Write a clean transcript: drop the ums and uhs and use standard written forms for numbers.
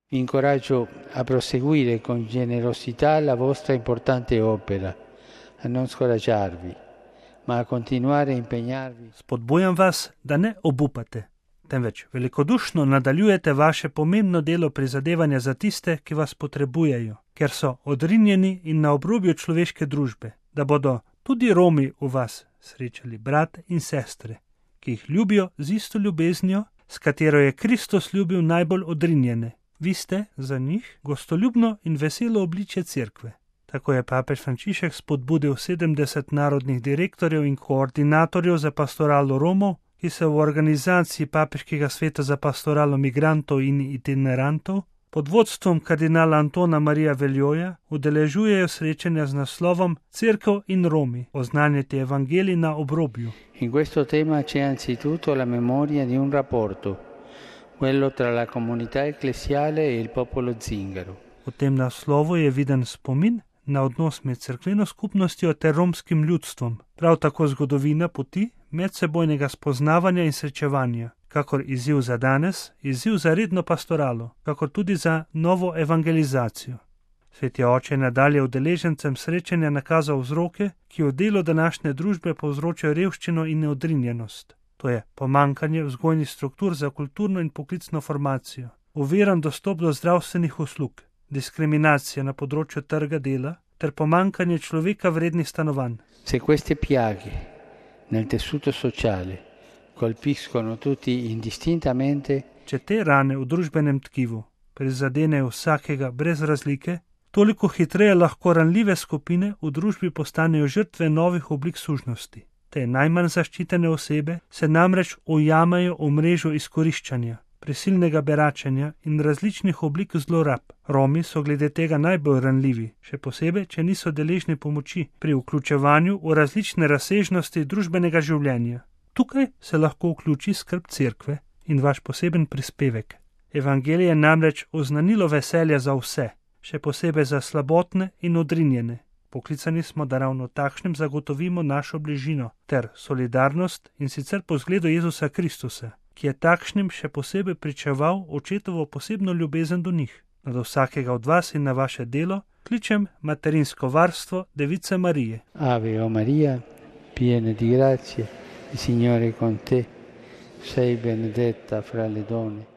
Vi incoraggio a proseguire con generosità la vostra importante opera, a non scoraggiarvi, ma a continuare a impegnarvi. Spodbujam vas, da ne obupate, temveč velikodušno nadaljujete vaše pomembno delo prizadevanja za tiste, ki vas potrebujejo, ker so odrinjeni in na obrobju človeške družbe, da bodo tudi Romi v vas srečali brate in sestre, ki jih ljubijo z isto ljubeznijo, s katero je Kristus ljubil najbolj odrinjene. Vi ste za njih gostoljubno in veselo obličje cerkve. Tako je papež Frančišek spodbudil 70 narodnih direktorjev in koordinatorjev za pastoralo Romov, ki se v organizaciji Papeškega sveta za pastoralo migrantov in itinerantov pod vodstvom kardinala Antona Marija Veljoja udeležujejo srečanja z naslovom Cerkev in Romi, oznanjati evangelij na obrobju. In questo tema c'è anzitutto la memoria di un rapporto, quello tra la comunità ecclesiale e il popolo zingaro. V tem naslovu je viden spomin na odnos med cerkveno skupnostjo ter romskim ljudstvom, prav tako zgodovina poti medsebojnega spoznavanja in srečevanja, kakor izziv za danes, izziv za redno pastoralo, kakor tudi za novo evangelizacijo. Sveti oče je nadalje udeležencem srečanja nakazal vzroke, ki v delu današnje družbe povzročajo revščino in neodrinjenost. To je pomankanje vzgojnih struktur za kulturno in poklicno formacijo, oviran dostop do zdravstvenih uslug, diskriminacija na področju trga dela ter pomankanje človeka vrednih stanovanj. Se queste piaghe nel tessuto sociale colpiscono tutti indistintamente, če te rane v družbenem tkivu prizadenejo vsakega brez razlike, toliko hitreje lahko ranljive skupine v družbi postanejo žrtve novih oblik sužnosti. Te najmanj zaščitene osebe se namreč ujamajo v mrežo izkoriščanja, prisilnega beračenja in različnih oblik zlorab. Romi so glede tega najbolj ranljivi, še posebej, če niso deležni pomoči pri vključevanju v različne razsežnosti družbenega življenja. Tukaj se lahko vključi skrb cerkve in vaš poseben prispevek. Evangelij je namreč oznanilo veselja za vse, še posebej za slabotne in odrinjene. Poklicani smo, da ravno takšnim zagotovimo našo bližino ter solidarnost, in sicer po zgledu Jezusa Kristusa, ki je takšnim še posebej pričeval očetovo posebno ljubezen do njih. Od vsakega od vas in na vaše delo kličem materinsko varstvo Device Marije. Ave o Maria, piena di grazie, il Signore è con te, sei benedetta fra le donne.